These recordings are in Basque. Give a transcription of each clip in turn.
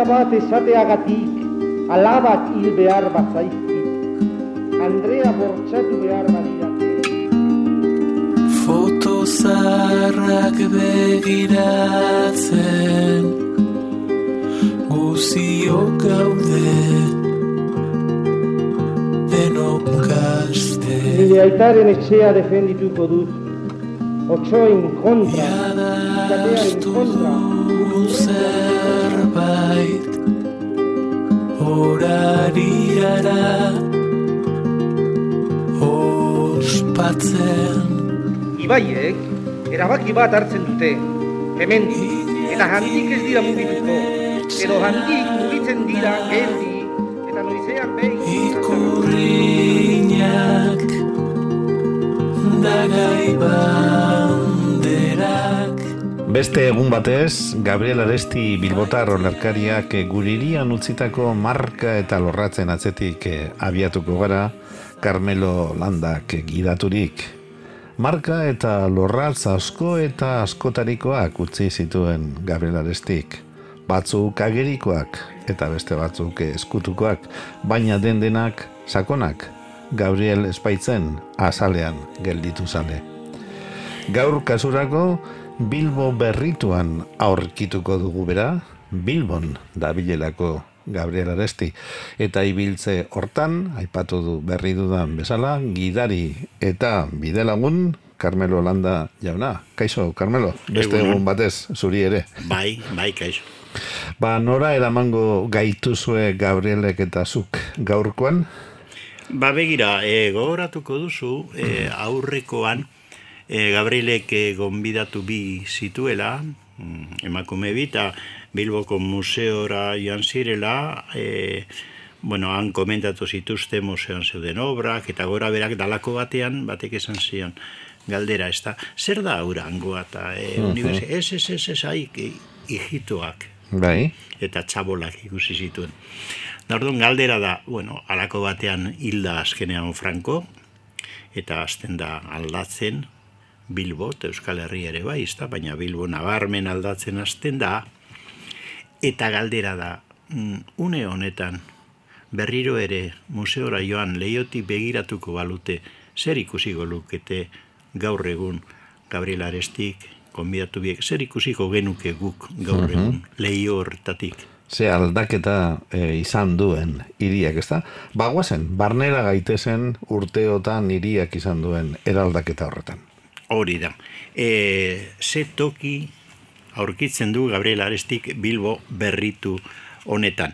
bat esateagatik, alabak hil behar bazaizkit, Andrea bortxatu behar badidate. Foto zaharrak begiratzen, guziok gaude, denok gazte. Nire aitaren etxea defendituko dut, otsoen kontra, izatearen kontra. Zerbait horari gara ospatzen. Ibaiek, erabaki bat hartzen dute, hemendik, eta handik ez dira mugituko, edo handik mugitzen dira geldi, eta noizean behin. Ikurriñak dagai banderak. Beste egun batez, Gabriel Aresti bilbotar olerkariak gure hirian utzitako marka eta lorratzen atzetik abiatuko gara, Carmelo Landak gidaturik. Marka eta lorratz asko eta askotarikoak utzi zituen Gabriel Arestik. Batzuk agerikoak eta beste batzuk eskutukoak, baina denak sakonak. Gabriel espaitzen azalean gelditu zale. Gaur kasurako Bilbo berrituan aurkituko dugu bera, Bilbon dabilelako Gabriel Aresti, eta ibiltze hortan, aipatu du berri dudan bezala, gidari eta bidelagun Carmelo Landa jauna. Kaixo, Carmelo, beste egun batez, zuri ere. Bai, kaixo. Nora eramango gaituzue Gabrielek eta zuk gaurkoan? Begira, gogoratuko duzu, aurrekoan, Gabrielek gonbidatu bi zituela, emakume bi, eta Bilboko museora joan zirela, han komentatu zituzte museoan zeuden obrak, eta gora berak dalako batean, batek esan zion, galdera, ez da, zer da aurangoa, eta ez, hijitoak, bai. Eta txabolak ikusi zituen. Orduan galdera da, alako batean hilda azkenean Franco, eta azten da aldatzen, Bilbo, eta Euskal Herri ere bai, baina Bilbo nabarmen aldatzen hasten da, eta galdera da, une honetan, berriro ere museora joan Leiotik begiratuko balute, zer ikusiko lukete gaur egun Gabriel Arestik, konbidatu biek, zer ikusiko genuke guk gaur egun Leio hortatik. Ze aldaketa izan duen hiriak, ez da? Bagoazen, barnera gaitezen urteotan hiriak izan duen eraldaketa horretan. Hori da. Ze toki aurkitzen du Gabriel Arestik Bilbo berritu honetan.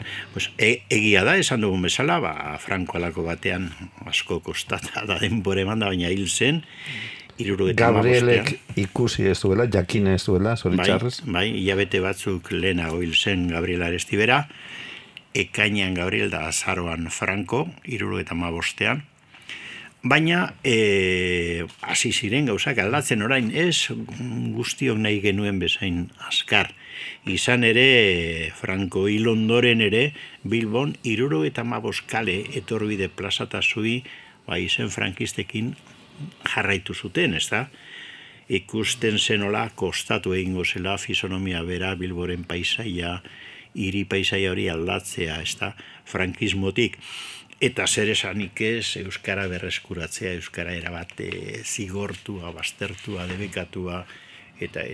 Egia da, esan dugun bezala, Franco alako batean asko kostata da denbora eman da, baina hil zen, Gabrielek ikusi ez duela, jakin ez duela, zoritxarrez? Bai, hilabete batzuk lehenago hil zen Gabriel Aresti bera, ekainean Gabriel da azaroan Franco, 75ean, baina hasi ziren gauzak aldatzen orain ez guztiok nahi genuen bezain azkar. Izan ere, Franco hil ondoren ere, Bilbon 75 kale etorbide plazata zui, izen frankistekin jarraitu zuten, ez da? Ikusten zenola kostatu egingo zela fisonomia bera Bilboren paisaia, hiri paisaia hori aldatzea, ez da? Frankismotik. Eta zer esanik ez, Euskara berreskuratzea, Euskara erabate zigortua, baztertua, debekatua, eta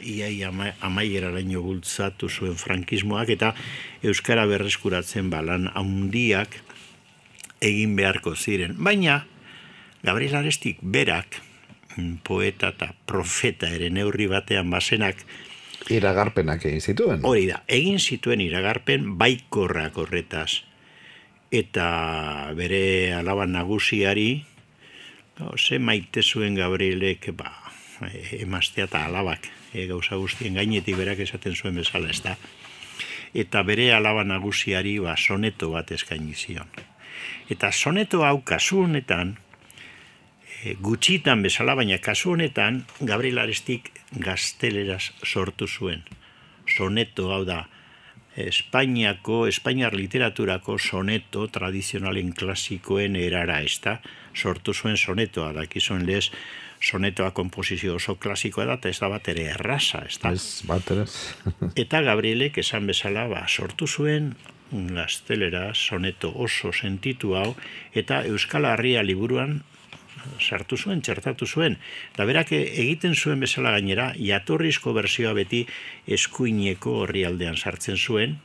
iai amaieraraino bultzatu zuen frankismoak, eta Euskara berreskuratzen lan handiak egin beharko ziren. Baina, Gabriel Arestik berak, poeta eta profeta ere neurri batean bazenak, iragarpenak egin zituen. Hori da, egin zituen iragarpen baikorrak horretaz. Eta bere alaban nagusiari, ze maite zuen Gabrielek, emaztea eta alabak, gauza guztien gainetik berak esaten zuen bezala, ez da. Eta bere alaba nagusiari soneto bat eskaini zion. Eta soneto hau kasu honetan, gutxitan bezala, baina kasu honetan, Gabriel Arestik gazteleraz sortu zuen. Soneto hau da, Espainiar literaturako soneto tradizionalen klasikoen erara, ezta? Sortu zuen sonetoa, dakizuen lez, sonetoa komposizio oso klasikoa da, eta ez da bat ere erraza, ezta? Ez, bat ere. Eta Gabrielek esan bezala, sortu zuen gaztelera soneto oso sentitu hau, eta Euskal Herria liburuan sartu zuen, txertatu zuen. Da berak egiten zuen bezala gainera, jatorrizko bersioa beti eskuineko orrialdean sartzen zuen.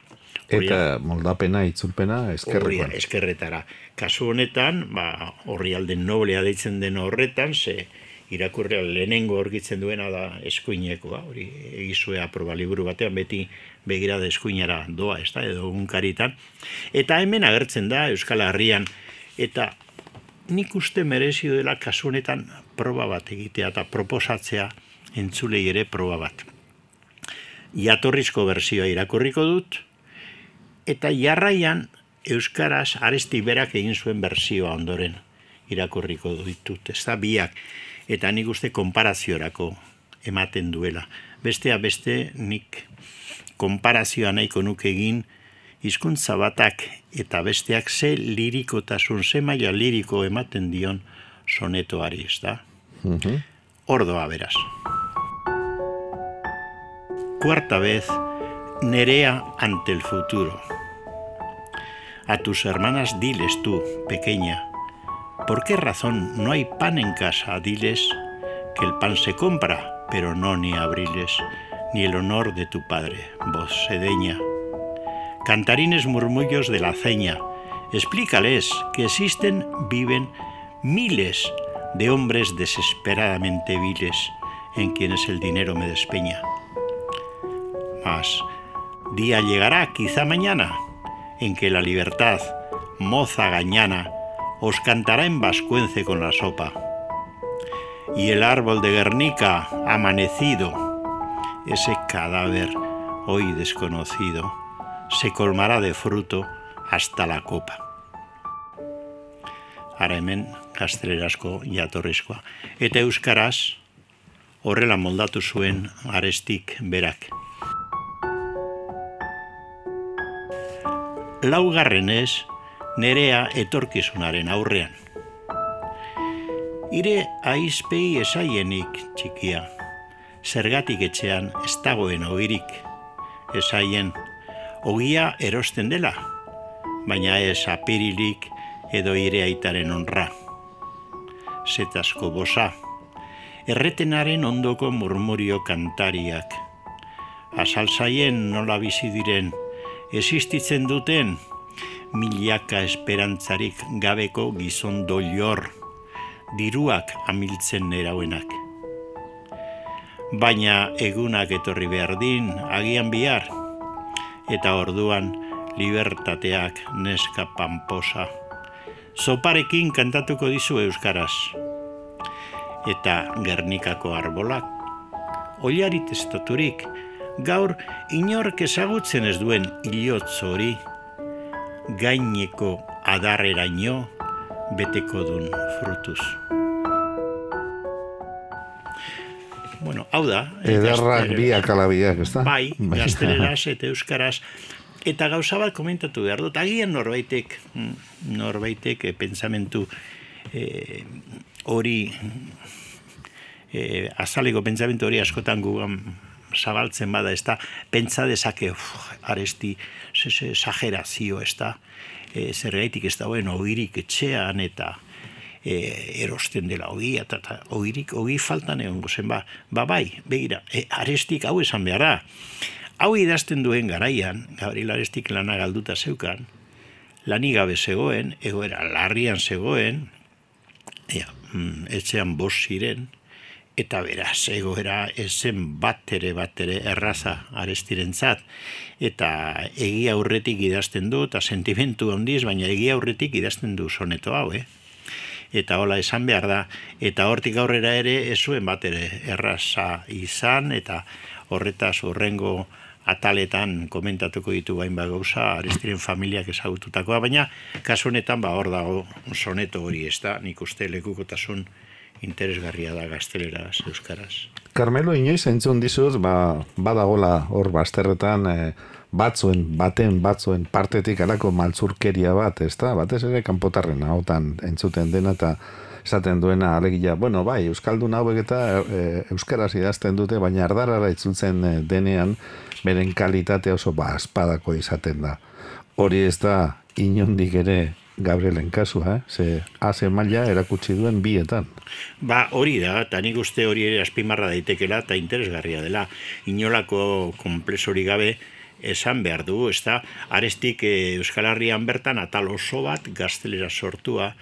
Eta moldapena, itzulpena, eskerrekoan. Eskerretara. Kasu honetan, orrialde noblea deitzen den horretan, ze irakurria lehenengo orgitzen duena da eskuinekoa, hori egizue aproba liburu batean beti begirada eskuinara doa, ez da, edo gunkaritan. Eta hemen agertzen da Euskal Herrian, eta nik uste merezi dela kasu honetan proba bat egitea eta proposatzea entzulei ere proba bat. Jatorrizko bersioa irakurriko dut, eta jarraian euskaraz Aresti berak egin zuen bersioa ondoren irakurriko ditut, ez da biak, eta nik uste konparaziorako ematen duela. Bestea beste nik konparazioa nahiko nuke egin hizkuntza batak eta besteak ze lirikotasun, ze maila liriko ematen dion sonetoari, ez da? Ordoa beraz. Cuarta vez, Nerea ante el futuro. A tus hermanas diles tú, pequeña, ¿por qué razón no hay pan en casa? Diles que el pan se compra, pero no ni abriles, ni el honor de tu padre, voz sedeña. Cantarines murmullos de la ceña, explícales que existen, viven miles de hombres desesperadamente viles en quienes el dinero me despeña. Mas día llegará, quizá mañana, en que la libertad, moza gañana, os cantará en vascuence con la sopa. Y el árbol de Guernica, amanecido, ese cadáver hoy desconocido, se colmará de fruto hasta la copa. Ara hemen gaztelerazko jatorrizkoa. Eta euskaraz horrela moldatu zuen Arestik berak. Laugarrenez, Nerea etorkizunaren aurrean. Ire aizpei esaienik txikia, zergatik etxean ez dagoen ogirik, esaien ogia erosten dela, baina ez apirilik edo ire aitaren honra. Zetasko bosa, erretenaren ondoko murmurio kantariak, azalzaien nola bizi diren, existitzen duten milaka esperantzarik gabeko gizon doilor, diruak amiltzen nerauenak. Baina egunak etorri behar din, agian bihar, eta orduan libertateak neska pamposa. Zoparekin kantatuko dizu euskaraz. Eta Gernikako arbolak, oilarit estaturik, gaur inork ezagutzen ez duen ilotz hori, gaineko adarreraino beteko dun frutuz. Bueno, hau da. Ederrak biak alabiak, ez da? Bai, gazteleraz eta euskaraz. Eta gauza bat komentatu behar dut. Agian norbaitek pentsamentu hori, azaleko pentsamentu hori askotan gugan zabaltzen bada, ez da, pentsa dezake, Aresti, exagerazio, ez da, zergaitik ez dagoen ogirik etxean, eta erosten dela ogia, eta ogi faltan egongo zen, bai, begira, Arestik hau esan behar da. Hau idazten duen garaian, Gabriel Arestik lana galduta zeukan, lanik gabe zegoen, egoera larrian zegoen, etxean bost ziren, eta beraz, egoera ezen bat ere erraza Arestirentzat, eta egia aurretik idazten du, eta sentimentu handiz, baina egia aurretik idazten du soneto hau, Eta hola esan behar da, eta hortik aurrera ere ez zuen bat ere erraza izan, eta horretaz horrengo ataletan komentatuko ditu hainbat gauza Arestiren familiak ezagututakoa, baina kasu honetan hor dago soneto hori, ez da, nik uste lekukotasun interesgarria da gazteleraz, euskaraz. Carmelo, inoiz entzun dizut, badagola hor bazterretan batzuen partetik alako maltzurkeria bat, ezta? Batez ere kanpotarren ahotan entzuten dena eta esaten duena alegia, bueno, bai, euskaldun hauek eta euskaraz idazten dute, baina ardarara itzultzen denean beren kalitate oso espadako izaten da. Hori ez da inondik ere Gabrielen kasua, ze haze maila erakutsi duen bietan. Hori da, eta nik uste hori ere azpimarra daitekela eta interesgarria dela. Inolako konplexori gabe esan behar dugu, ez da, Arestik Euskal Herrian bertan atal oso bat gaztelera sortua,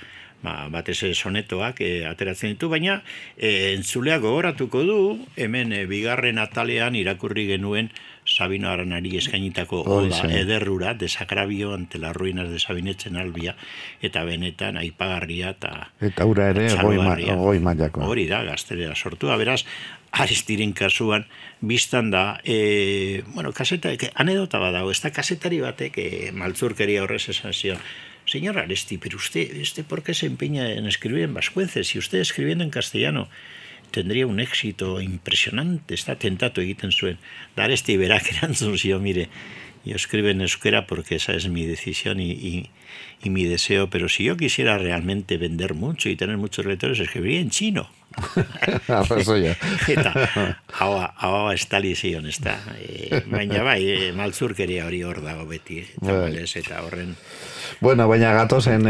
batez sonetoak ateratzen ditu, baina entzulea gogoratuko du, hemen bigarren atalean irakurri genuen Sabino Aranari eskainitako oda ederrura, desagrabio ante las ruinas de Sabinetzen albia, eta benetan aipagarria eta ura ere goi mailako. Hori da, gaztelera sortua, beraz, Arestiren kasuan, biztan da, kaseta, anedota badago, ez da kasetari batek maltzurkeria horrez esan zion, señor Aresti, pero usted ¿por qué se empeña en escribir en vascuence? Si usted escribiendo en castellano tendría un éxito impresionante, está tentatu egiten zuen. Da Aresti berak erantzun zio, mire, yo escribo en euskera porque esa es mi decisión y mi deseo, pero si yo quisiera realmente vender mucho y tener muchos lectores, escribiría en chino. Eta hau estali zion, ez da. Baina bai, maltzurkeria hori hor dago beti, eta horren... Bueno, baina gatozen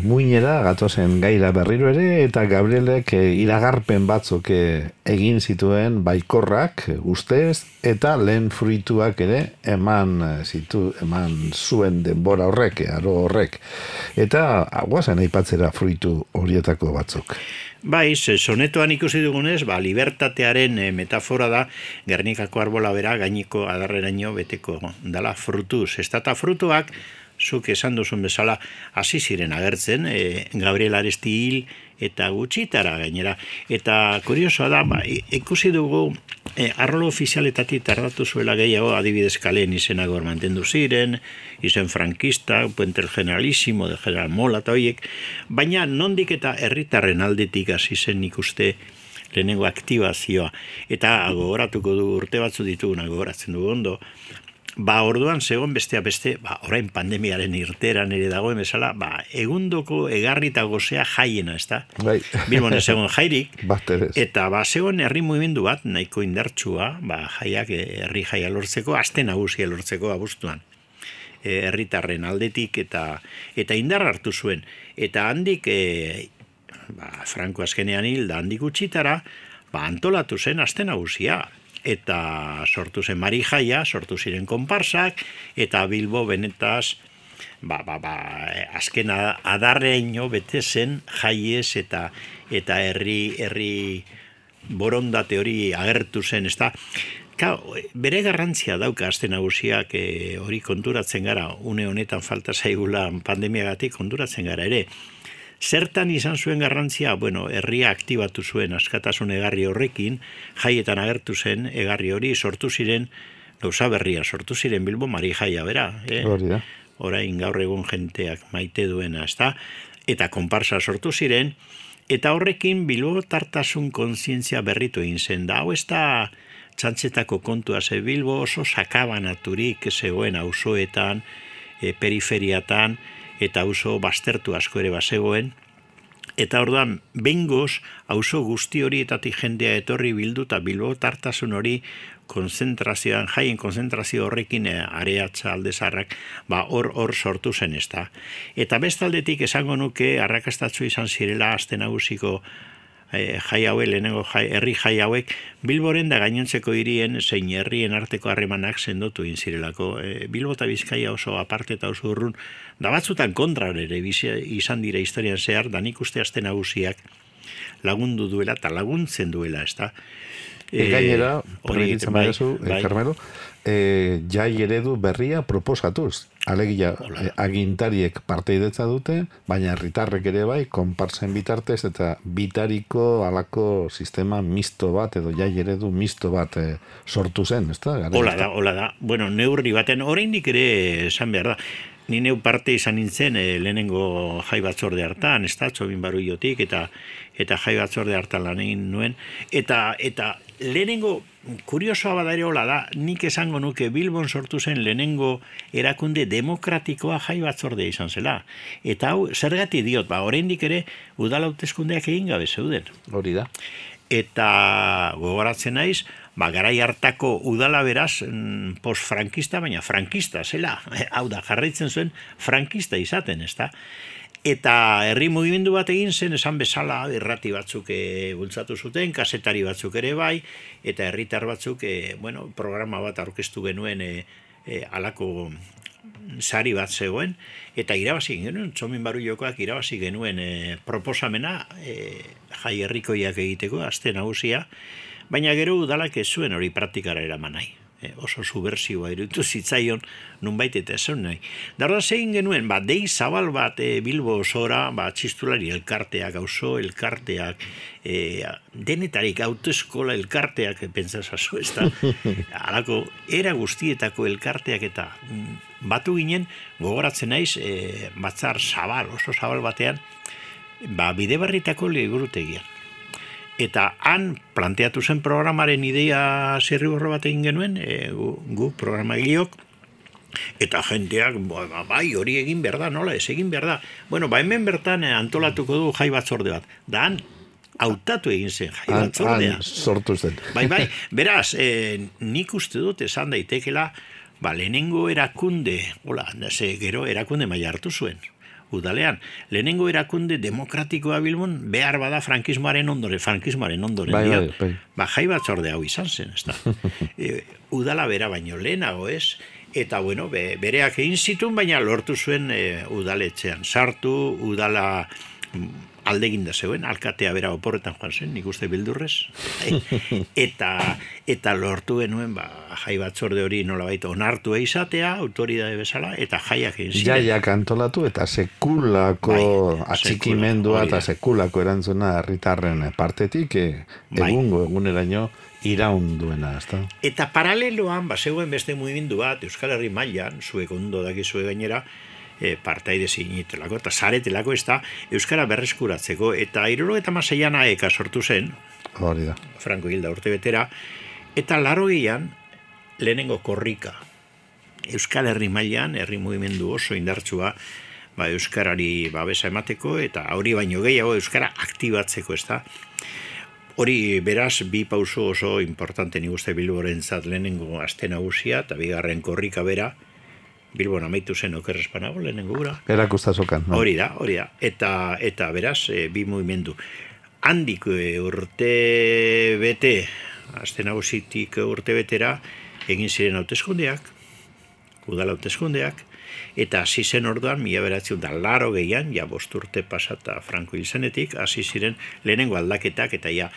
muinera, gatozen gaira berriro ere, eta Gabrielek iragarpen batzuk egin zituen baikorrak, ustez, eta lehen fruituak ere eman zuen denbora horrek, aro horrek. Eta guazen aipatzera fruitu horietako batzuk. Bai, sonetoan ikusi dugunez, libertatearen metafora da, Gernikako arbola bera gainiko adarreraino beteko dala frutuz. Ez eta frutuak, zuk esan duzun bezala, hasi ziren agertzen, Gabriel Aresti hil eta gutxitara gainera. Eta kuriosoa da, ikusi dugu, arrolo ofizialetatik tardatu zuela gehiago, adibidez Kaleen izenak hor mantendu ziren, izen frankista, Puente el Generalísimo, de General Mola eta horiek, baina nondik eta herritarren aldetik hasi zen ikuste lehenengo aktibazioa. Eta gogoratuko du urte batzu dituguna gogoratzen dugu ondo, orduan zegoen besteak beste, orain pandemiaren irteran ere dagoen bezala, egundoko egarri eta gozea jaiena, ez da? Bai. Bilbon ez zegoen jairik, eta zegoen herri mugimendu bat, nahiko indartsua, jaiak, herri jaia lortzeko, aste nagusia lortzeko abuztuan. Herritarren aldetik eta indar hartu zuen. Eta handik, Franco azkenean hil, da handik utxitara, antolatu zen aste nagusia. Eta sortu zen Mari Jaia, sortu ziren konparsak, eta Bilbo benetaz, azken adarreino bete zen jaiez eta herri borondate hori agertu zen, ezta? Bere garrantzia dauka aste nagusiak hori konturatzen gara, une honetan falta zaigula pandemiagatik konturatzen gara ere. Zertan izan zuen garrantzia, herria aktibatu zuen askatasun egarri horrekin, jaietan agertu zen egarri hori, sortu ziren, gauza berria, sortu ziren Bilbo Mari Jaia, bera. Orain gaur egun jenteak maite duena, ezta? Eta konparsa sortu ziren, eta horrekin Bilbo tartasun kontzientzia berritu egin zen. Da, hau ez da txantxetako kontua, ze Bilbo oso sakabanaturik zegoen auzoetan, periferiatan, eta auzo baztertu asko ere bazegoen, eta orduan, behingoz, auzo guzti horietatik jendea etorri bildu, eta Bilbo tartasun hori konzentrazioan, jaien konzentrazio horrekin areatza aldezarrak, hor sortu zen ez da. Eta bestaldetik esango nuke, arrakastatzu izan zirela aste nagusiko jai hauek, lehenengo herri jai hauek, Bilboren da gainontzeko hirien zein herrien arteko harremanak sendotu egin zirelako. Bilbo eta Bizkaia oso aparte eta oso urrun, da batzutan kontra ere izan dira historian zehar, da nik uste aste nagusiak lagundu duela eta laguntzen duela, ez da? Gainera, permititzen badezu, Carmelo, jai eredu berria proposatuz. Alegia, agintariek parteidetza dute, baina herritarrek ere bai, konparsen bitartez eta bitariko alako sistema misto bat, edo jai eredu misto bat sortu zen, ez da? Hola da. Neurri baten, oraindik ere esan behar da. ni neu parte izan nintzen lehenengo jai batzorde hartan, ez da, Txobin Baruiotik, eta jai batzorde hartan lan egin nuen, eta lehenengo, kuriosoa bada ere hola da, nik esango nuke Bilbon sortu zen lehenengo erakunde demokratikoa jai batzordea izan zela. Eta hau, zergatik diot, oraindik ere udal hauteskundeak egin gabe zeuden. Hori da. Eta gogoratzen naiz, garai hartako udala beraz postfrankista, baina frankista zela. Hau da, jarraitzen zuen frankista izaten, ez da? Eta herri mugimendu bat egin zen, esan bezala irrati batzuk bultzatu zuten, kasetari batzuk ere bai, eta herritar batzuk programa bat aurkeztu genuen halako sari bat zegoen, eta irabazi genuen, Txomin Baruiokoak irabazi genuen proposamena jai herrikoiak egiteko, aste nagusia, baina gero udalak ez zuen hori praktikara eraman nahi. Oso subversiboa iruditu zitzaion nunbait eta esan nahi. Darda zegin genuen, dei zabal bat Bilbo osora, txistulari elkarteak, auzo elkarteak, denetarik autoeskola elkarteak, pentsasazu, ez da? Halako, era guztietako elkarteak eta batu ginen, gogoratzen naiz, batzar zabal, oso zabal batean, Bidebarritako liburutegian. Eta han planteatu zen programaren ideia zirriborro bat egin genuen, gu programagileok, eta jenteak, bai, hori egin behar da, nola, ez egin behar da. Hemen bertan antolatuko du jai batzorde bat. Da han, hautatu egin zen jai batzordea. Han sortu zen. Bai, beraz, nik uste dut esan daitekela, lehenengo erakunde, gero erakunde maila hartu zuen. Udalean, lehenengo erakunde demokratikoa Bilbon behar bada frankismoaren ondoren bai. Jai batzorde hau izan zen, ez da. Udala bera baino lehenago ez, eta bereak egin zituen, baina lortu zuen udaletxean sartu, udala aldeginda zegoen, alkatea bera oporretan joan zen, nik uste bildurrez, eta lortu genuen jai batzorde hori nolabait onartua izatea, autoridade bezala, eta jaiak egin ziren. Jaiak antolatu eta sekulako atxikimendua eta sekulako erantzuna herritarren partetik eguneraino iraun duena, ezta? Eta paraleloan, zegoen beste mugimendu bat, Euskal Herri mailan, zuek ondo dakizue gainera, partaide zinitelako, eta zaretelako ez da, Euskara berreskuratzeko, eta 76an AEK sortu zen, hori da. Franko hilda urte betera, eta 80an lehenengo korrika. Euskal Herri mailan, herri mugimendu oso indartsua, Euskarari babesa emateko, eta hori baino gehiago Euskara aktibatzeko, ez da. Hori beraz, bi pauso oso importante nik uste Bilborentzat lehenengo aste nagusia, eta bigarren korrika bera, Bilbon amaitu zen okerrespanago lehenengo gura. Erakustazokan. No? Hori da. Eta beraz, bi mugimendu. Handik urte bete, aste nagusitik urte betera, egin ziren hauteskundeak, udal hauteskundeak, eta hasi zen orduan, 1980an, 5 urte pasata Franco hil zenetik, hasi ziren lehenengo aldaketak, eta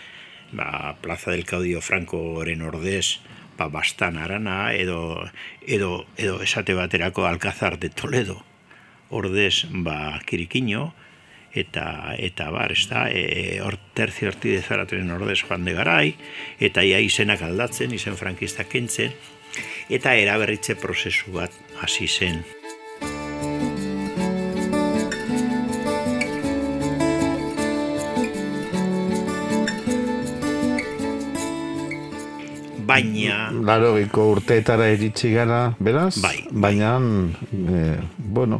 Plaza del Caudio Francoren ordez, Bastan Arana, edo esate baterako Alcázar de Toledo, ordez Kirikiño, eta bar, ez da, Tercio Ortiz Zaratren ordez Juan de Garay, eta izenak aldatzen, izen frankistak kentzen, eta eraberritze prozesu bat hasi zen. Baina... 80ko urteetara iritsi gara, beraz? Bai. Baina,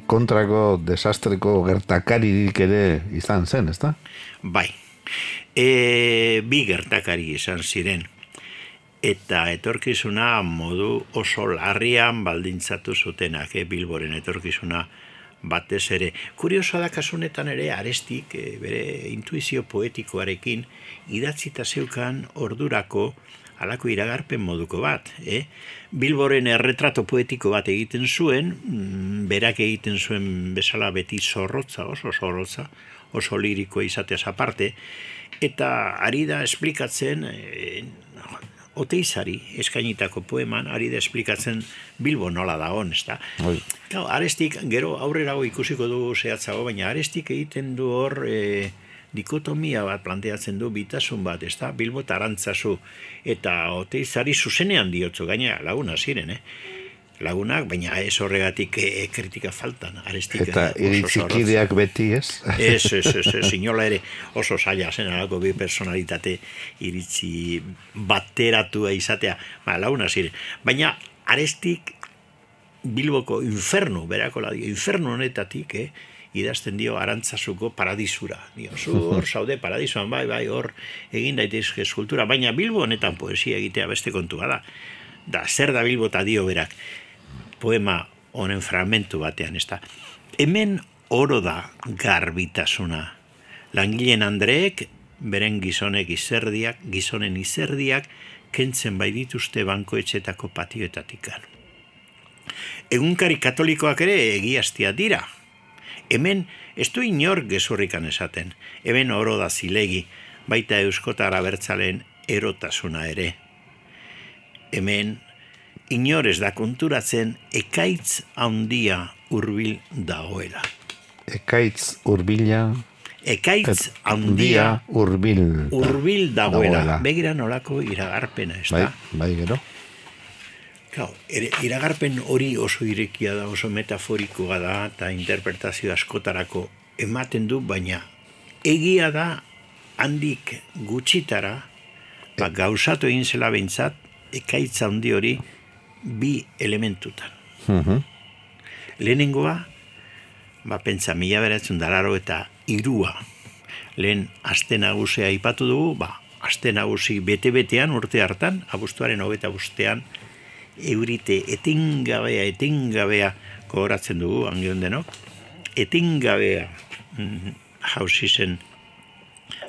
kontrako desastreko gertakaririk ere izan zen, ezta? Bai. Bi gertakari izan ziren. Eta etorkizuna modu oso larrian baldintzatu zutenak, Bilboren etorkizuna batez ere. Kuriosoa da kasunetan ere Arestik, bere intuizio poetikoarekin, idatzita zeukan ordurako halako iragarpen moduko bat. Bilboren erretrato poetiko bat egiten zuen, berak egiten zuen bezala beti zorrotza, oso liriko izateaz aparte, eta ari da esplikatzen, Oteizari eskainitako poeman, ari da esplikatzen Bilbo nola dagoen, ez da? Arestik, gero aurrerago ikusiko dugu zehatzago, baina Arestik egiten du hor dikotomia bat planteatzen du, bitasun bat, ez da? Bilbo eta Arantzazu, eta Oteizari zuzenean diotzu, gaina laguna ziren, lagunak, baina ez horregatik kritika faltan, Arestik. Eta iritzikideak beti, ez? Ez, inola ere oso zaila zen alako bi personalitate iritzi bateratua izatea, laguna ziren. Baina Arestik Bilboko infernu, berako ladio, infernu honetatik, idazten dio Arantzazuko paradisura. Hor zaude paradisuan, bai, hor egin daitezke eskultura, baina Bilbo honetan poesia egitea beste kontua da. Da, zer da Bilbo eta dio berak, poema honen fragmentu batean, ez da. Hemen oro da garbitasuna. Langileen Andreek, beren gizonen izerdiak, kentzen bai dituzte bankoetxetako patioetatikan. Egunkari katolikoak ere egiaztia dira. Hemen ez du inor gezurrikan esaten. Hemen oro da zilegi, baita euskotara bertzalen erotasuna ere. Hemen inor ez da konturatzen ekaitz handia hurbil dagoela. Ekaitz hurbila... Ekaitz handia hurbil dagoela. Begira nolako iragarpena, ez da? Bai, gero. Iragarpen hori oso irekia da, oso metaforikoa da, eta interpretazio askotarako ematen du, baina egia da handik gutxitara, gauzatu egin zela behintzat, ekaitz handi hori bi elementutan. Lehenengoa, pentsa 1983 lehen aste nagusia aipatu dugu, aste nagusi bete-betean urte hartan, abuztuaren 25ean, eurite etengabea gogoratzen dugu, angion denok, etengabea jauzi zen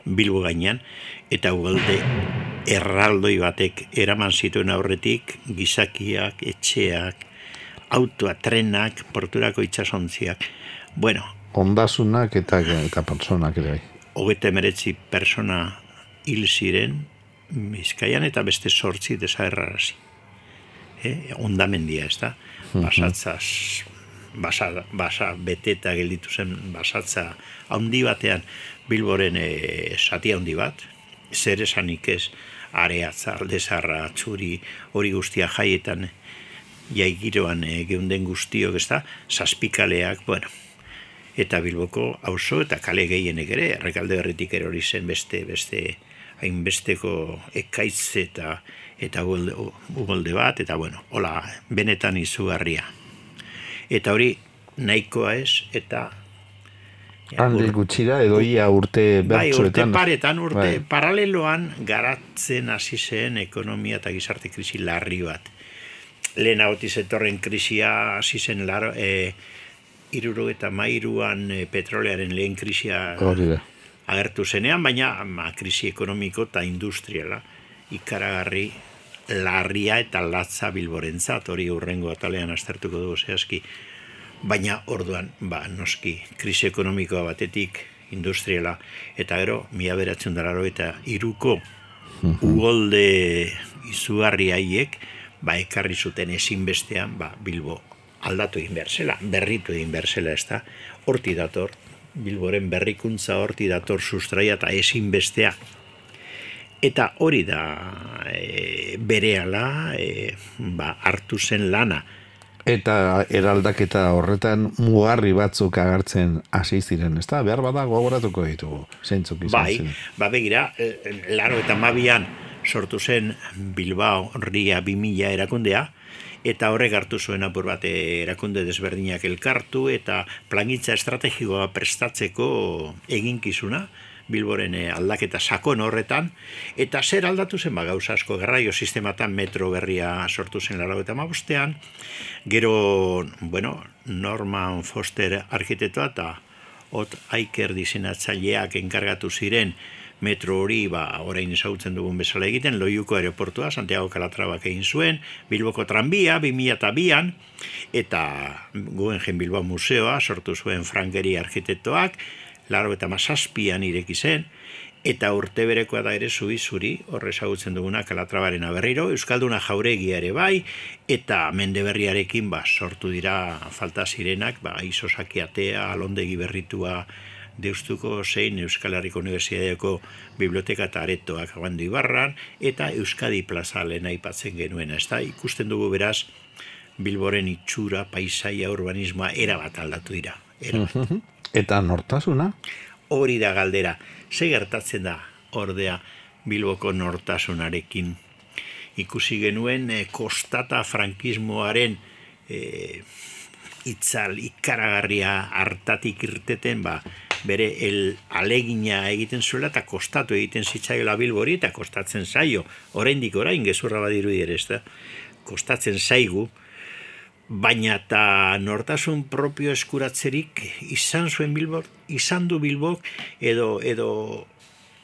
Bilbo gainean, eta ugalde erraldoi batek eraman zituen aurretik, gizakiak, etxeak, autoa, trenak, porturako itsasontziak. Bueno, ondasunak eta personak ere. 39 persona hil ziren Bizkaian eta beste 8 desagerrarazi. Ondamendia, ez da? Basatzaz, basa beteta gelditu zen basatza handi batean Bilboren zati handi bat, zer esanik ez, Areatza, Aldezarra, Txuri, hori guztia jaietan jaigiroan geunden guztiok, ez da, zazpikaleak, bueno, eta Bilboko auzo eta kale gehienek ere, Errekalde Berritik erori zen beste hainbesteko ekaitz eta ugolde bat, eta bueno, hola, benetan izugarria. Eta hori nahikoa ez, eta handi gutxira edo ia urte bertsoetan. Urte paretan, paraleloan garatzen hasi zen ekonomia eta gizarte krisi larri bat. Lehenagotik zetorren krisia hasi zen 73an petrolearen lehen krisia agertu zenean, baina krisi ekonomiko eta industriala ikaragarri larria eta latza Bilborentzat, hori hurrengo atalean aztertuko dugu zehazki. Baina orduan, noski, krisi ekonomikoa batetik, industriala, eta gero, 1983ko ugolde izugarri haiek, ekarri zuten ezinbestean, Bilbo aldatu egin behar zela, berritu egin behar zela, ez da, horti dator, Bilboren berrikuntza horti dator sustraia eta ezinbestea. Eta hori da berehala hartu zen lana. Eta eraldaketa horretan mugarri batzuk agertzen hasi ziren, ez da? Behar bada gogoratuko ditugu, zeintzuk izan zen. Begira, 82an sortu zen Bilbao Ria 2000 erakundea, eta horrek hartu zuen apur bat erakunde desberdinak elkartu, eta plangintza estrategikoa prestatzeko eginkizuna, Bilboren aldaketa sakon horretan, eta zer aldatu zen gauza asko, garraio sistematan metro berria sortu zen 85ean, gero, Norman Foster arkitektoa eta Ot Aiker diseinatzaileak enkargatu ziren metro hori, orain ezagutzen dugun bezala egiten, Loiuko aeroportua, Santiago Calatrabak egin zuen, Bilboko tranbia, 2002an, eta Guggenheim Bilbao museoa sortu zuen Frankeri arkitektoak, 87an ireki zen, eta urte berekoa da ere zuri, horre ezagutzen duguna Calatrabaren berriro, Euskalduna Jauregia ere bai, eta Mendeberriarekin sortu dira falta zirenak, Isosakiatea, Alondegi berritua, Deustuko zein Euskal Herriko Unibertsitateako biblioteka eta aretoak Abando Ibarran, eta Euskadi Plaza lehen aipatzen genuen, ez da, ikusten dugu beraz, Bilboren itxura, paisaia, urbanismoa, erabat aldatu dira. Eta nortasuna? Hori da galdera. Ze gertatzen da, ordea, Bilboko nortasunarekin? Ikusi genuen kostata frankismoaren itzal ikaragarria hartatik irteten, bere alegina egiten zuela eta kostatu egiten zitzaiola Bilbori eta kostatzen zaio. Oraindik orain gezurra badirudi ere, ez da? Kostatzen zaigu, baina eta nortasun propio eskuratzerik izan du Bilbok edo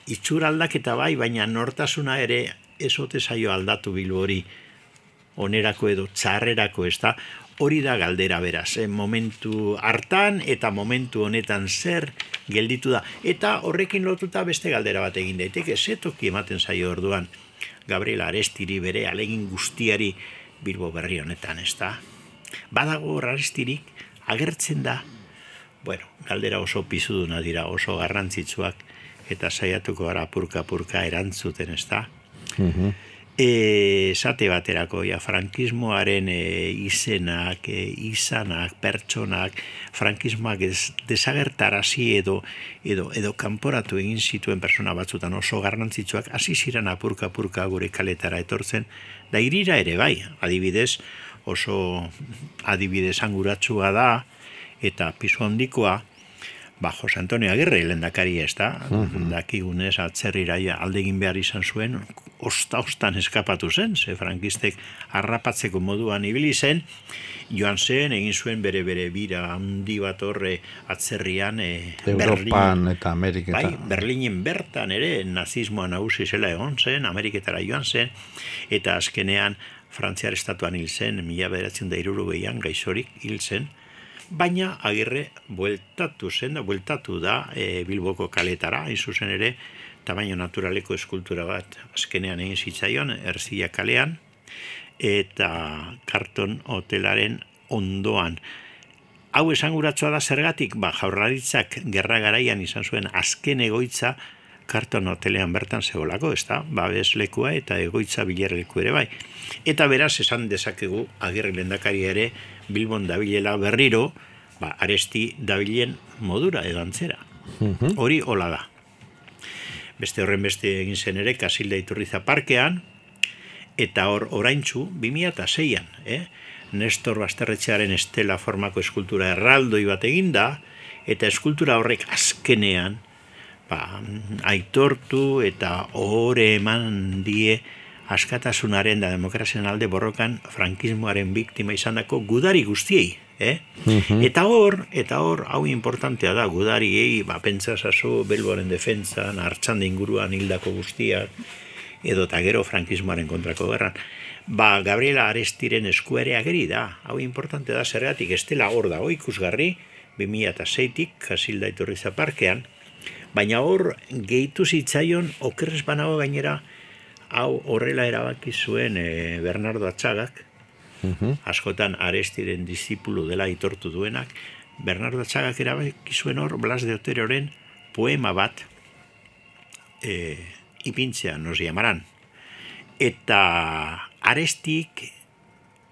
itxura aldaketa bai, baina nortasuna ere ezote zaio aldatu Bilbori onerako edo txarrerako, ez da? Hori da galdera beraz, momentu hartan eta momentu honetan zer gelditu da. Eta horrekin lotuta beste galdera bat egin daiteke, ze toki ematen zaio orduan Gabriel Arestiri bere alegin guztiari Bilbo berri honetan, ez da? Badago Arestirik agertzen da, galdera oso pizuduna dira, oso garrantzitsuak, eta saiatuko gara apurka erantzuten, ez da? Esate baterako, frankismoaren izenak, izanak, pertsonak, frankismoak desagertarazi edo kanporatu egin zituen persona batzutan oso garrantzitsuak, hasi ziren apurka gure kaletara etortzen, da irira ere bai, adibidez, oso adibidez anguratsua da, eta pisu handikoa, Jose Antonio Agirre lehendakari, ez da? Dakigunez atzerrira aldegin behar izan zuen, ostan eskapatu zen, ze frankistek harrapatzeko moduan ibili zen, joan zen, egin zuen bere bira handi bat horre atzerrian Europan eta Ameriketan. Bai, Berlinen bertan ere nazismoa nagusi zela egon zen, Ameriketara joan zen, eta azkenean Frantziar estatuan hil zen, 1960an gaixorik hil zen, baina Agirre bueltatu da Bilboko kaletara, hain zuzen ere, tamaino naturaleko eskultura bat azkenean egin zitzaion, Erzilla kalean, eta Carlton hotelaren ondoan. Hau esanguratsua da zergatik, Jaurlaritzak gerra garaian izan zuen azken egoitza Carlton hotelean bertan zegoelako, ez da? Babeslekua eta egoitza bilerleku ere bai. Eta beraz esan dezakegu Agirre lehendakari ere Bilbon dabilela berriro, Aresti dabilen modura edo antzera. Hori hola da. Beste horren beste egin zen ere Kasilda Iturriza parkean, eta oraintzu 2006an, Nestor Basterretxearen estela formako eskultura erraldoi bat eginda, eta eskultura horrek azkenean aitortu eta ohore eman die askatasunaren da demokrazian alde borrokan frankismoaren biktima izandako gudari guztiei, Eta hor, hau importantea da, gudariei, pentsasazu Bilboren defentsan, Artxanda inguruan hildako guztiak, edo eta gero frankismoaren kontrako gerran. Gabriela Arestiren eskuere ageri da, hau importantea da, zergatik estela hor dago ikusgarri, 2006tik, Kasilda Iturriza parkean, baina hor gehitu zitzaion okerrez banago gainera, hau horrela erabaki zuen Bernardo Atxagak, askotan Arestiren disipulu dela aitortu duenak, Bernardo Atxagak erabaki zuen hor Blas de Oteroren poema bat ipintzea, nos llamaran. Eta Arestik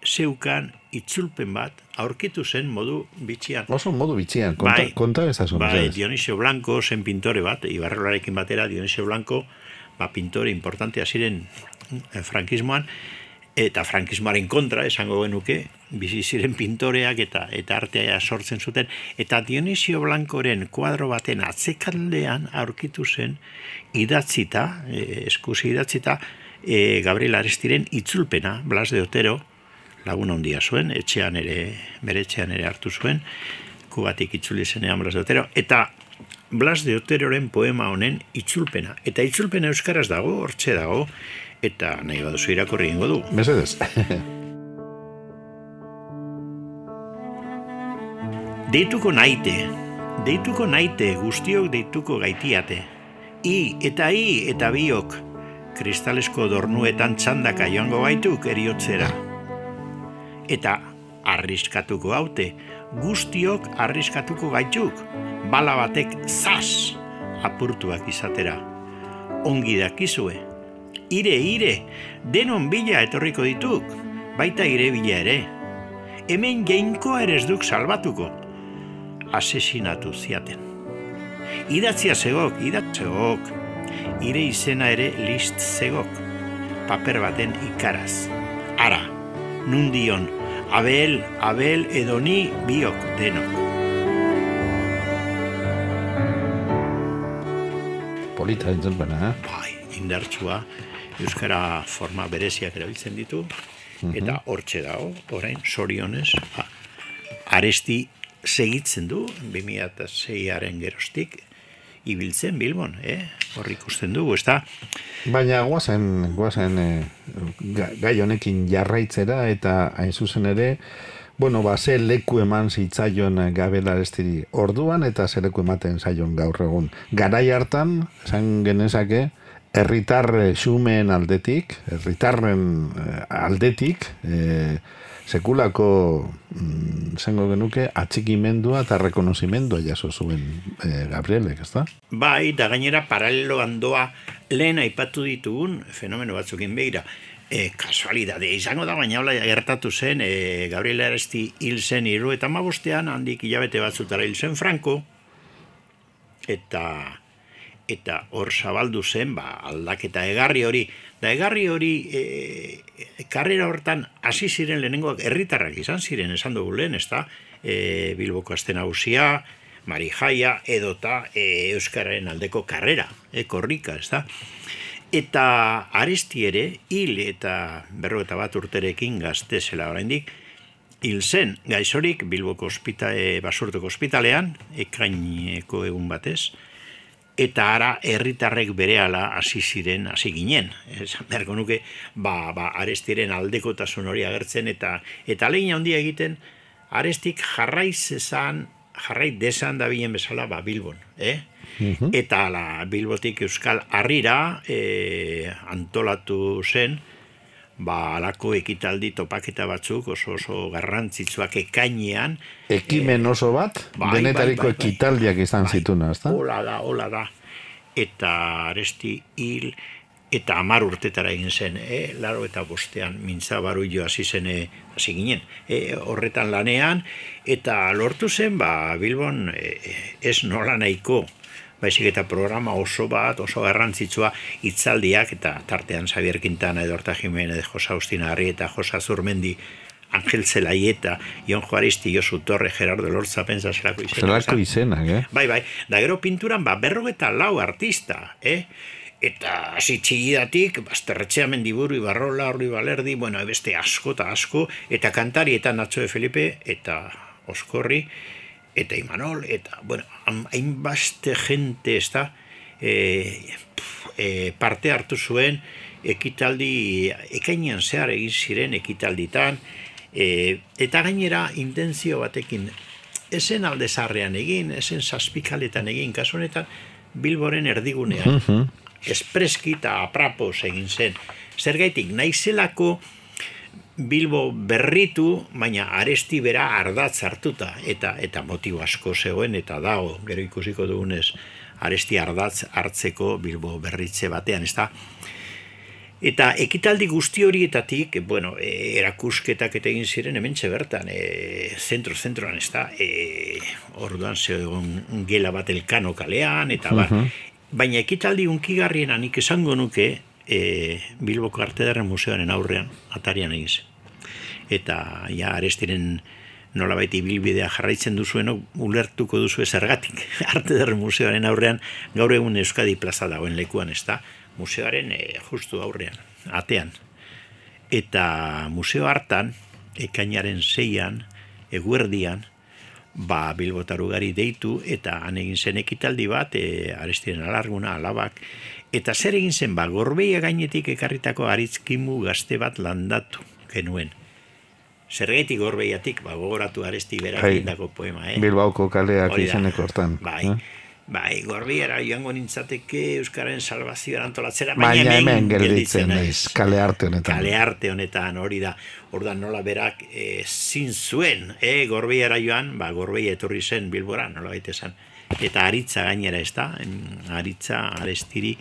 zeukan itzulpen bat aurkitu zen modu bitxian. Oso modu bitxian, konta ezazun. Dionisio Blanco zen pintore bat, Ibarrolarekin batera Dionisio Blanco, pintore importantea ziren frankismoan, eta frankismoaren kontra, esango genuke, bizi ziren pintoreak eta artea sortzen zuten, eta Dionisio Blancoren kuadro baten atzekaldean aurkitu zen idatzita, eskusi idatzita, Gabriel Arestiren itzulpena, Blas de Otero, lagun handia zuen, bere etxean ere hartu zuen, Kubatik itzuli zenean Blas de Otero, eta Blas de Oteroren poema honen itzulpena. Eta itzulpena euskaraz dago, hortxe dago, eta nahi baduzu irakurri egingo du. Mesedez. Deituko naite, guztiok deituko gaitiate. I eta biok, kristalesko dornuetan txandaka joango gaituk eriotzera. Eta arriskatuko haute, guztiok arriskatuko gaituk, bala batek zaz apurtuak izatera. Ongi dakizue, ire, denon bila etorriko dituk, baita ire bila ere. hemen jainkoa ere ez duk salbatuko. Asesinatu ziaten. Idatzia zegok, ire izena ere list zegok, paper baten ikaraz. Ara, nundion, Abel edo ni biok denok. Polita entzun bena, Bai, indartsua, euskara forma bereziak erabiltzen ditu, eta hortxe dago, orain, sorionez, Aresti segitzen du, 2006aren geroztik, ibiltzen Bilbon, hor ikusten dugu, ez da? baina guazen gai honekin jarraitzera eta hain zuzen ere, bueno, ze leku eman zitzaion Gabriel Arestiri orduan eta ze leku ematen zaion gaur egun. Garai hartan, esan genezake, herritar xumeen aldetik, herritarren aldetik, sekulako zengo genuke atxikimendua eta rekonozimendua jaso zuen Gabrielek, ezta? Bai, da gainera paralelo handoa lehen aipatu ditugun fenomeno batzukin begira. Kasualidade izango da, baina hola gertatu zen, Gabriel Aresti hil zen 75ean, handik hilabete batzutara hil zen Franco, eta hor zabaldu zen, aldaketa egarri hori. Da egarri hori, karrera hortan hasi ziren lehenengoak herritarrak izan ziren, esan dugu lehen, ez da? Bilboko Aste Nagusia, Marijaia, edota Euskararen aldeko karrera, korrika, ez da? Eta Aresti ere, hil eta 51 urterekin gazte zela oraindik, hil zen gaixorik Bilboko Basurtoko ospitalean, ekaineko egun batez, eta ara herritarrek berehala hasi ginen. Esan beharko nuke, Arestiren aldekotasun hori agertzen, eta ahalegin handia egiten, Arestik jarrai desan dabilen bezala Bilbon, Eta Bilbotik Euskal Harrira antolatu zen, alako ekitaldi topaketa batzuk oso garrantzitsuak ekainean. Ekimen oso bat, denetariko ekitaldiak izan zituna, ezta? Hola da. Eta Aresti hil, eta 10 urtetara egin zen, 85ean Mintza Barullo hasi ginen, horretan lanean, eta lortu zen, Bilbon ez nola nahiko, baizik eta programa oso bat, oso garrantzitsua, hitzaldiak, eta tartean Xabier Quintana, Edorta Jimenez, Josa Agustina Garri eta Josa Zurmendi, Angel Zelaieta, Ion Juaristi, Josu Torre, Gerardo Lortza, pensa zelako izenak. Zelako izenak, Bai, da gero pinturan, 54 artista, Eta hasi txigidatik, Basterretxea, Mendiburu, Ibarrola, Orri Balerdi, beste asko eta asko, eta kantari eta Nacho de Felipe, eta Oskorri, eta Imanol, eta, hainbaste jente, ez da, parte hartu zuen, ekitaldi, ekainean zehar egin ziren ekitalditan, eta gainera intentzio batekin, esen alde zarrean egin, esen zazpikaletan egin, kasu honetan, Bilboren erdigunean, espreski eta aprapos egin zen. Zergaitik, naizelako Bilbo berritu, baina Aresti bera ardatz hartuta, eta motibo asko zegoen, eta dago, gero ikusiko dugunez, Aresti ardatz hartzeko Bilbo berritze batean, ez da? Eta ekitaldi guzti horietatik, erakusketak eta egin ziren hementxe bertan, zentroan, ez da? Orduan zegoen gela bat Elkano kalean, eta baina ekitaldi unkigarriena nik esango nuke Bilboko Arte Ederren Museoaren aurrean, atarian egin zen. Eta Arestiren nolabait ibilbidea jarraitzen duzuenok, ulertuko duzu zergatik Arte Ederren Museoaren aurrean, gaur egun Euskadi plaza dagoen lekuan, ez da? Museoaren justu aurrean, atean. Eta museo hartan, ekainaren 6an, eguerdian, Bilbotar ugari deitu, eta han egin zen ekitaldi bat, Arestiren alarguna, alabak, eta zer egin zen, Gorbeia gainetik ekarritako aritzkimu gazte bat landatu genuen. Zergaitik Gorbeiatik, gogoratu Aresti berak egindako poema, Bilbaoko kaleak izeneko hortan. Bai, Gorbiara joango nintzateke Euskararen salvazioa antolatzera, baina hemen gelditzen naiz, kale arte honetan. Hori da, ordan nola berak zin zuen, Gorbiara joan, Gorbeia etorri zen Bilbora, nola baita esan. Eta aritza gainera, ez da, aritza Arestiri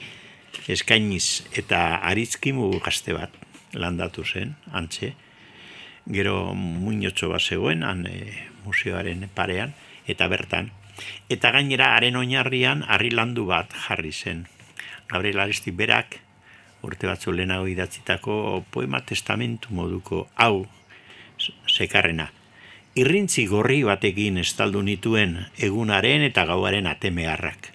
eskainiz, eta aritzkimu gazte bat landatu zen, antxe. gero muinotxo bat zegoen, museoaren parean, eta bertan. Eta gainera, haren oinarrian, harri landu bat jarri zen. Gabriel Aresti berak, urte batzu lehenago idatzitako poema testamentu moduko hau zekarrena. Irrintzi gorri batekin estaldu nituen egunaren eta gauaren atemearrak.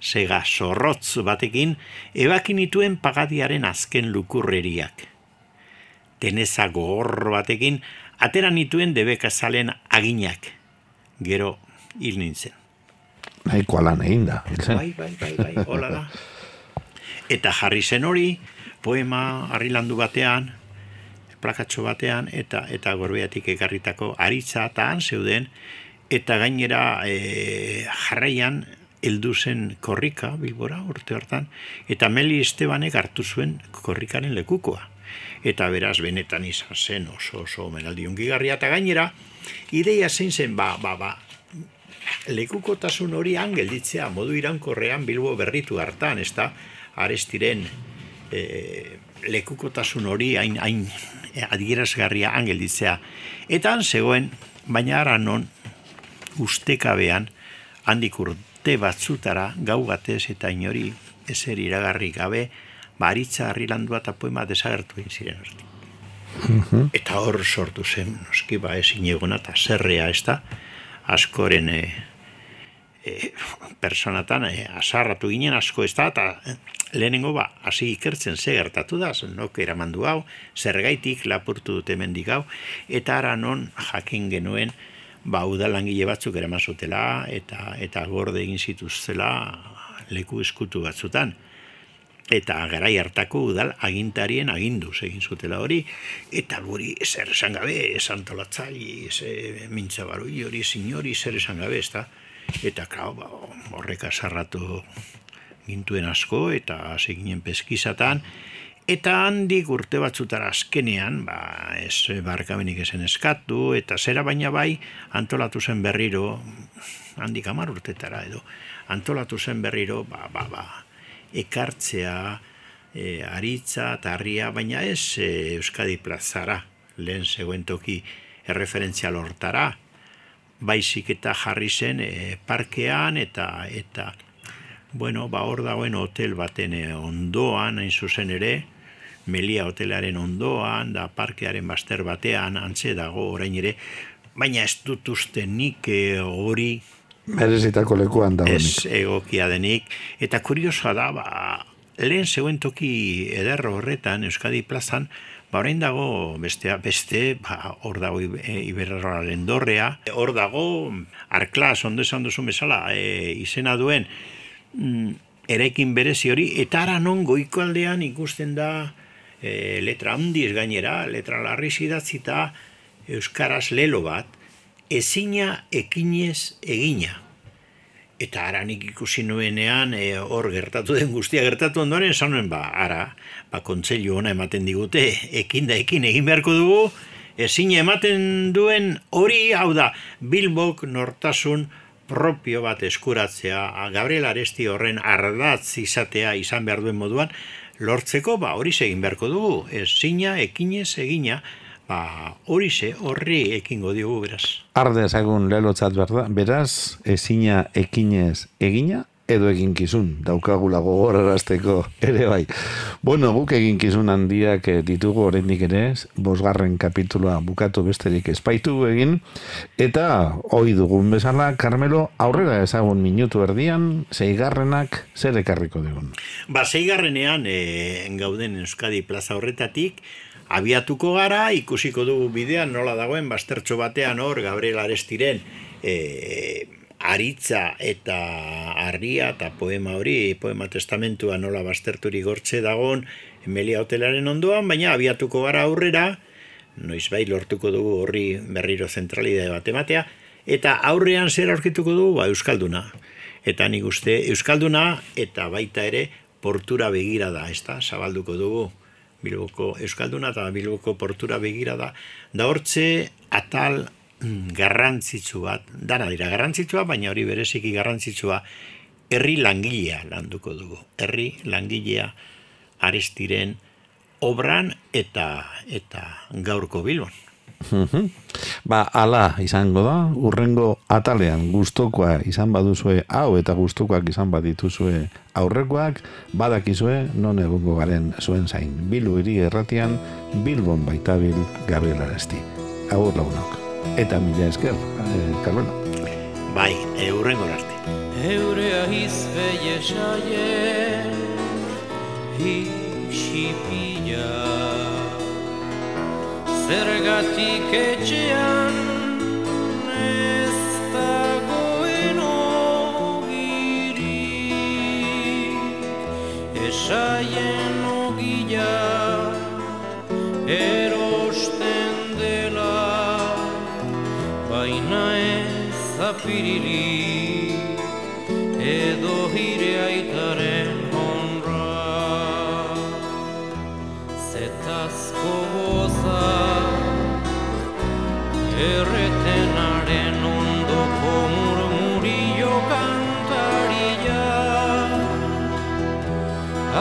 Sega zorrotz batekin ebaki nituen pagadiaren azken lukurreriak. Teneza gogor batekin atera nituen debekazalen aginak. Gero hil nintzen. Nahiko alan egin da. Bai, hola da. Eta jarri zen hori, poema harrilandu batean, plakatxo batean, eta Gorbeatik ekarritako aritza eta han zeuden, eta gainera jarraian heldu zen korrika, Bilbora, urte hartan, eta Meli Estebanek hartu zuen korrikaren lekukoa. Eta beraz, benetan izan zen oso omenaldi ungigarria, eta gainera, ideia zein zen, lekukotasun hori gelditzea modu irankorrean Bilbo berritu hartan, ez da, Arestiren lekukotasun hori hain adierazgarria gelditzea. Eta han zegoen, baina ara non, ustekabean, handik urte batzutara, gau batez eta inori ezer iragarri gabe, aritza harrilandua eta poema desagertu egin ziren hortik. Eta hor sortu zen, noski ezin egona eta zerrea ez da, askoren personatan asarratu ginen asko ez da, eta lehenengo hasi ikertzen ze gertatu da, nok eramandu hau, zergaitik lapurtu dute mendik hau, eta ara non jakin genuen udalangile batzuk eraman zutela, eta gorde egin zituztela leku eskutu batzutan. Eta garai hartako udal agintarien aginduz egin zutela hori, eta guri zer esan gabe, antolatzai, mintzabarui hori, sinori, zer esan gabe, ez da? Eta horrek asarratu gintuen asko, eta hasi ginen peskizatan, eta handik urte batzutara azkenean, ez barkamenik esen eskatu, eta zera baina bai, antolatu zen berriro, handik 10 urtetara edo, antolatu zen berriro, ekartzea, aritza eta harria, baina ez Euskadi plazara, lehen zegoen toki erreferentzial hortara, baizik eta jarri zen parkean eta hor dagoen hotel baten ondoan, hain zuzen ere, Melia hotelaren ondoan, da parkearen bazter batean, antze dago orain ere, baina ez dut uste nik hori merezitako lekuan dagoenik. Ez egokia denik, eta kuriosoa da, lehen zegoen toki ederro horretan, Euskadi plazan, orain dago beste, hor dago Iberraren dorrea, hor dago Arklas, ondo esan duzu bezala, izena duen eraikin berezi hori, eta ara non goiko aldean ikusten da letra handiz gainera, letra larriz idatzita euskaraz lelo bat, ezina ekinez egina. Eta ara nik ikusi nuenean hor gertatu den guztia gertatu ondoren, esan nuen kontseilu ona ematen digute, ekin egin beharko dugu, ezina ematen duen hori, hau da, Bilbok nortasun propio bat eskuratzea, Gabriel Aresti horren ardatz izatea izan behar duen moduan, lortzeko hori egin beharko dugu, ezina ekinez egina, horri ekingo diogu beraz. Arde ezagun lelotzat beraz, ezina ekinez egina, edo eginkizun, daukagula gogorarazteko ere bai. Bueno, guk eginkizun handiak ditugu oraindik ere, 5. kapitulua bukatu besterik espaitu egin, eta ohi dugun bezala, Carmelo, aurrera ezagun minutu erdian, 6. zer ekarriko dugun? 6. gauden Euskadi plaza horretatik, abiatuko gara, ikusiko dugu bidean nola dagoen, baztertxo batean hor, Gabriel Arestiren aritza eta harria eta poema hori, poema testamentua nola bazterturik gortze dagoen Melia hotelaren ondoan, baina abiatuko gara aurrera, noizbait lortuko dugu horri berriro zentralidade bat ematea, eta aurrean zer aurkituko dugu, Euskalduna. Eta nik uste Euskalduna eta baita ere portura begira da, zabalduko dugu. Bilboko Euskalduna eta Bilboko portura begira da hortze atal garrantzitsu bat, dana dira garrantzitsua, baina hori bereziki garrantzitsua, herri langilea landuko dugu. Herri langilea Arestiren obran eta gaurko Bilbon. Ala izango da, urrengo atalean gustokoa izan baduzue hau eta gustokoak izan badituzue aurrekoak, badakizue non egongo garen zuen zain. Bilbo hiri erratian, Bilbon baitabil Gabriel Aresti. Agur lagunok. Eta mila esker, Carmelo. Bai, urrengo arte. Eurea izpeie saien Hixipila Zergatik etxean ez dagoen ogirik Esaien ogila erosten dela Baina ez apirilik edo hire aitaren honra Zetazko goza erretenaren ondoko murmurio kantaria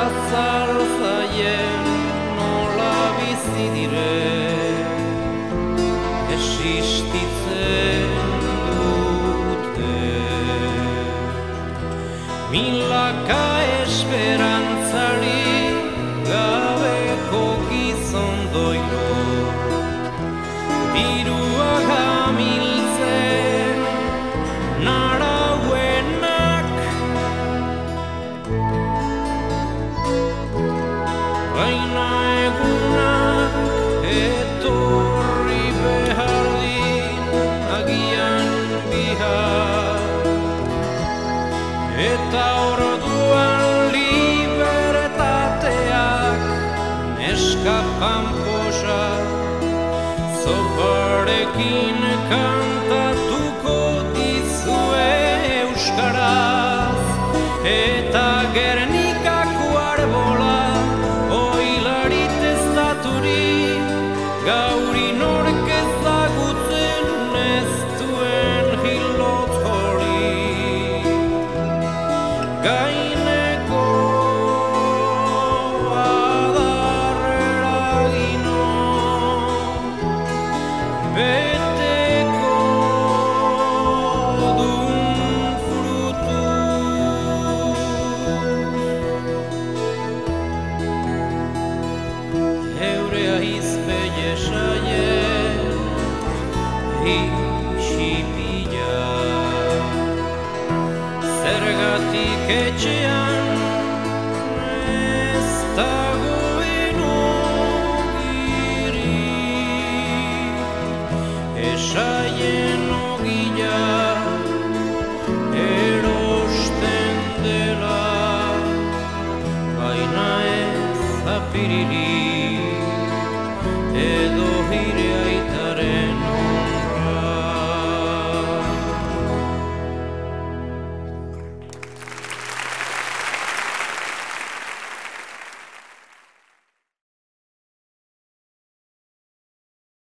Azal zaien nola bizi dire existitzen Milaka esperantzari gabeko gizon doilo Dirua gamiltzen narauenak Baina egunak etorri behar din agian bihar Eta orduan libertateak neskapan posa Zoparekin kantatuko dizue euskaraz Eta Gernikako arbola oilarit ez daturi Gauri nork ezagutzen ez duen hilot hori Gaineko adarreragino beteko dun frutu Eurea izpeie saien Hixipila Zergatik etxean ez dagoen ogirik Esaien ogila erosten dela Baina ez apiririk edo hire